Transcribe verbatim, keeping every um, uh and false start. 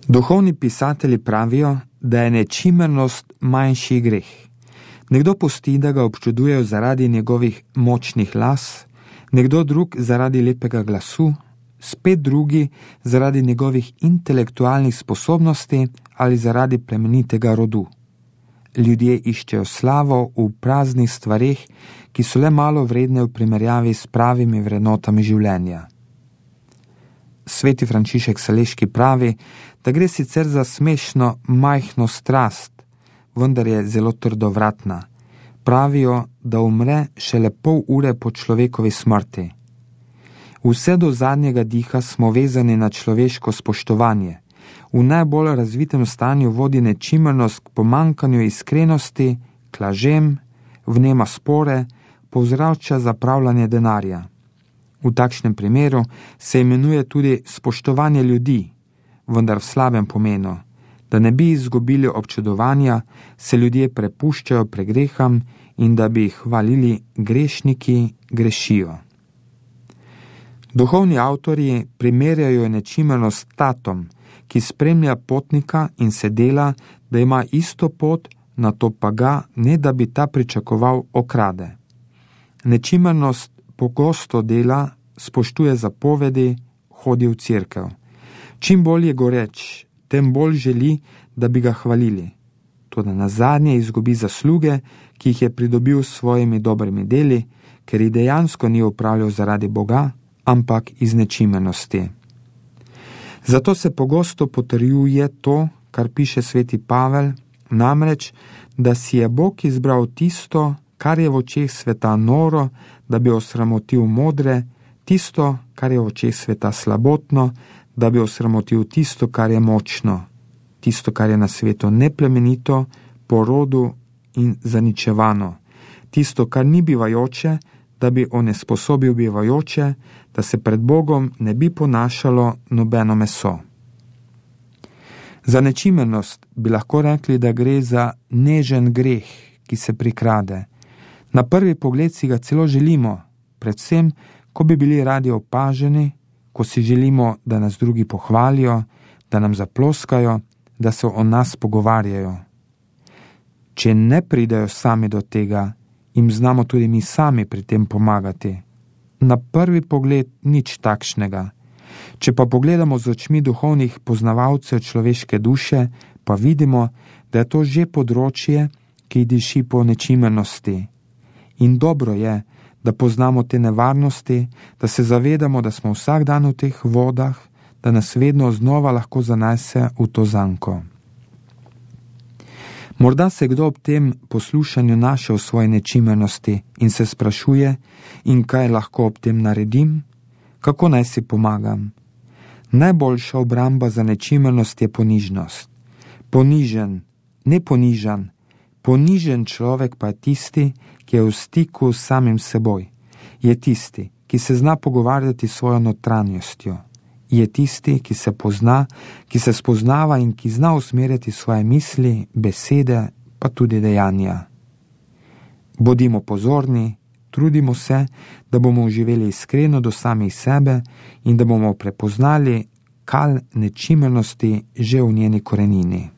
Duhovni pisatelji pravijo, da je nečimrnost manjši greh. Nekdo pusti, da ga občudujejo zaradi njegovih močnih las, nekdo drug zaradi lepega glasu, spet drugi zaradi njegovih intelektualnih sposobnosti ali zaradi plemenitega rodu. Ljudje iščejo slavo v praznih stvareh, ki so le malo vredne v primerjavi s pravimi vrednotami življenja. Sveti Frančišek Saleški pravi, da gre sicer za smešno majhno strast, vendar je zelo trdovratna. Pravijo, da umre šele pol ure po človekovi smrti. Vse do zadnjega diha smo vezani na človeško spoštovanje. V najbolj razvitem stanju vodi nečimrnost k pomankanju iskrenosti, k lažem, vnema spore, povzroča zapravljanje denarja. V takšnem primeru se imenuje tudi spoštovanje ljudi, vendar v slabem pomenu. Da ne bi izgubili občudovanja, se ljudje prepuščajo pregreham in da bi jih hvalili grešniki grešijo. Duhovni avtorji primerjajo nečimrnost s tatom, ki spremlja potnika in se dela, da ima isto pot, nato pa ga, ne da bi ta pričakoval, okrade. Nečimrnost pogosto dela, spoštuje zapovedi, hodi v cerkev. Čim bolj je goreč, tem bolj želi, da bi ga hvalili. Toda nazadnje izgubi zasluge, ki jih je pridobil s svojimi dobrimi deli, ker jih dejansko ni opravljal zaradi Boga, ampak iz nečimrnosti. Zato se pogosto potrjuje to, kar piše sveti Pavel, namreč, da si je Bog izbral tisto, kar je v očeh sveta noro, da bi osramotil modre, tisto, kar je v očeh sveta slabotno, da bi osramotil tisto, kar je močno, tisto, kar je na svetu neplemenito, po rodu in zaničevano, tisto, kar ni bivajoče, da bi onesposobil bivajoče, da se pred Bogom ne bi ponašalo nobeno meso. Za nečimrnost bi lahko rekli, da gre za nežen greh, ki se prikrade. Na prvi pogled si ga celo želimo, predvsem, ko bi bili radi opaženi, ko si želimo, da nas drugi pohvalijo, da nam zaploskajo, da se o nas pogovarjajo. Če ne pridejo sami do tega, jim znamo tudi mi sami pri tem pomagati. Na prvi pogled nič takšnega. Če pa pogledamo z očmi duhovnih poznavalcev človeške duše, pa vidimo, da je to že področje, ki diši po nečimrnosti. In dobro je, da poznamo te nevarnosti, da se zavedamo, da smo vsak dan v teh vodah, da nas vedno znova lahko zanese v to zanko. Morda se kdo ob tem poslušanju našel svoje nečimrnosti in se sprašuje, in kaj lahko ob tem naredim, kako naj si pomagam. Najboljša obramba za nečimrnost je ponižnost. Ponižen, ne ponižan, ponižen človek pa je tisti, ki je v stiku s samim seboj. Je tisti, ki se zna pogovarjati s svojo notranjostjo. Je tisti, ki se pozna, ki se spoznava in ki zna usmerjati svoje misli, besede, pa tudi dejanja. Bodimo pozorni, trudimo se, da bomo živeli iskreno do samih sebe in da bomo prepoznali kal nečimrnosti že v njeni korenini.